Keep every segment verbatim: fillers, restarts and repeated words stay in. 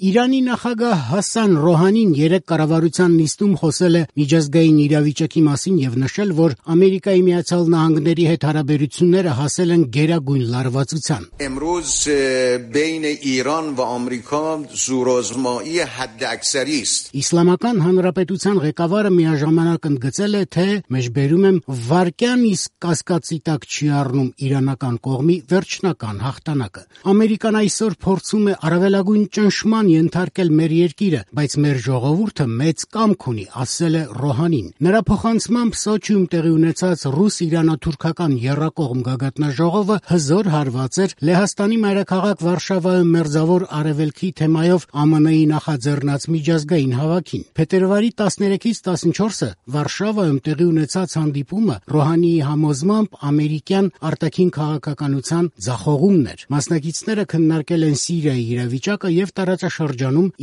Իրանի նախագահ Հասան Ռոհանին երեկ կառավարության նիստում խոսել է միջազգային իրավիճակի մասին եւ նշել, որ Ամերիկայի Միացյալ Նահանգների հետ հարաբերությունները հասել են գերագույն լարվածության։ امروز بین ایران و آمریکا زورآزمایی حداکثری است. Իսլամական հանրապետության ղեկավարը միաժամանակ ընդգծել է, թե մեջբերում եմ վարկյան իսկ կասկածի տակ չի առնում իրանական կողմի վերջնական հաղթանակը։ Ամերիկան այսօր փորձում է առավելագույն ճնշման ենթարկել մեր երկիրը, բայց մեր ժողովուրդը մեծ կամք ունի, ասել է Ռոհանին։ Նրա փոխանցմամբ Սոչիում տեղի ունեցած ռուս-իրանա-թուրքական եռակողմ գագաթնաժողովը հզոր հարված էր Լեհաստանի մայրաքաղաք Վարշավայում մերձավոր արևելքի թեմայով Α M N-ի նախաձեռնած միջազգային հավաքին։ Փետրվարի տասներեքից տասնչորսը Վարշավայում տեղի ունեցած հանդիպումը Ռոհանիի համոզմամբ ամերիկյան արտաքին քաղաքականության ձախողումն էր։ Մասնակիցները քննարկել են Սիրիայի իրավիճակը եւ տարածաշրջանում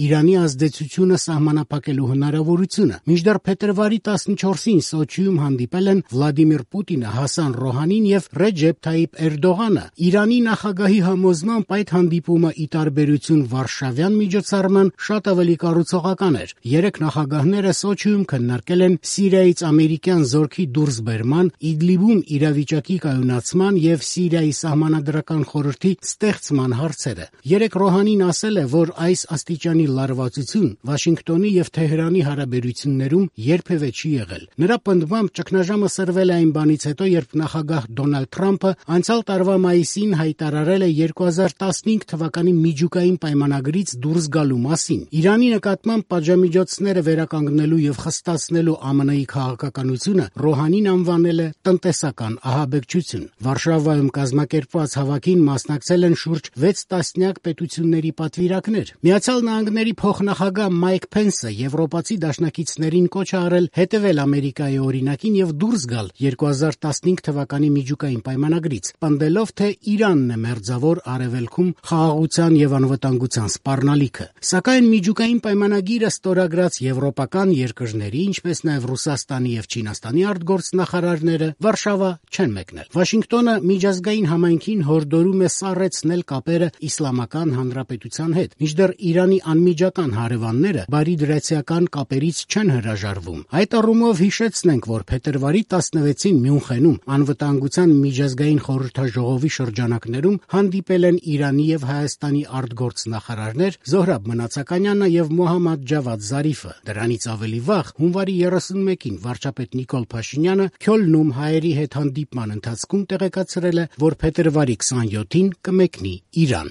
Իրանի ազդեցությունը սահմանափակելու հնարավորությունը։ Մինչդեռ փետրվարի տասնչորսին Սոչիում հանդիպել են Վլադիմիր Պուտինը, Հասան Ռոհանին եւ Ռեջեփ Թայիփ Էրդողանը։ Իրանի նախագահի համոզմամբ այդ հանդիպումը ի տարբերություն վարշավյան միջոցառման շատ ավելի կառուցողական էր։ Երեք նախագահները Սոչիում քննարկել են Սիրիայից ամերիկյան զորքի դուրսբերման, Իդլիբում իրավիճակի կայունացման եւ Սիրիայի սահմանադրական խորհրդի ստեղծման հարցերը։ Երեք Ռոհանին ասել է, որ այս աստիճանի լարվածություն Վաշինգտոնի եւ Թեհրանի հարաբերություններում երբևէ չի եղել։ Նրա պնդմամբ ճգնաժամը սրվել է այն բանից հետո, երբ նախագահ Դոնալդ Թրամփը անցյալ տարվա մայիսին հայտարարել է երկու հազար տասնհինգ թվականի միջուկային պայմանագրից դուրս գալու մասին։ Իրանի նկատմամբ պատժամիջոցները վերականգնելու եւ խստացնելու Α M N-ի քաղաքականությունը Ռոհանին անվանել է տնտեսական ահաբեկչություն։ Վարշավայում կազմակերպված հավաքին մասնակցել են շուրջ վեց տասնյակ պետությունների պատվիրակներ։ Միացյալ Նահանգների փոխնախագահ Մայք Փենսը եվրոպացի դաշնակիցներին կոչ է արել հետևել Ամերիկայի օրինակին եւ դուրս գալ երկու հազար տասնհինգ թվականի միջուկային պայմանագրից, պնդելով, թե Իրանն է մերձավոր արևելքում խաղաղության եւ անվտանգության սպառնալիքը։ Սակայն միջուկային պայմանագիրը ստորագրած եվրոպական երկրների, ինչպես նաեւ Ռուսաստանի եւ Չինաստանի արտգործնախարարները Վարշավա չեն մեկնել։ Վաշինգտոնը միջազգային համայնքին հորդորում է սառեցնել կապերը Իսլամական Հանրապետության հետ, մինչդեռ Իրանի անմիջական հարևանները բարիդրացիական կապերից չեն հրաժարվում։ Այդ առումով հիշեցնենք, որ փետրվարի տասնվեցին Մյունխենում անվտանգության միջազգային խորհրդաժողովի շրջանակներում հանդիպել են Իրանի եւ Հայաստանի արտգործնախարարներ Զոհրաբ Մնացականյանը եւ Մոհամմադ Ջավադ Զարիֆը։ Դրանից ավելի վաղ, հունվարի երեսունմեկին վարչապետ Նիկոլ Փաշինյանը Քյոլնում հայերի հետ հանդիպման ընթացքում տեղեկացրել է, որ փետրվարի քսանյոթին կմեկնի Իրան։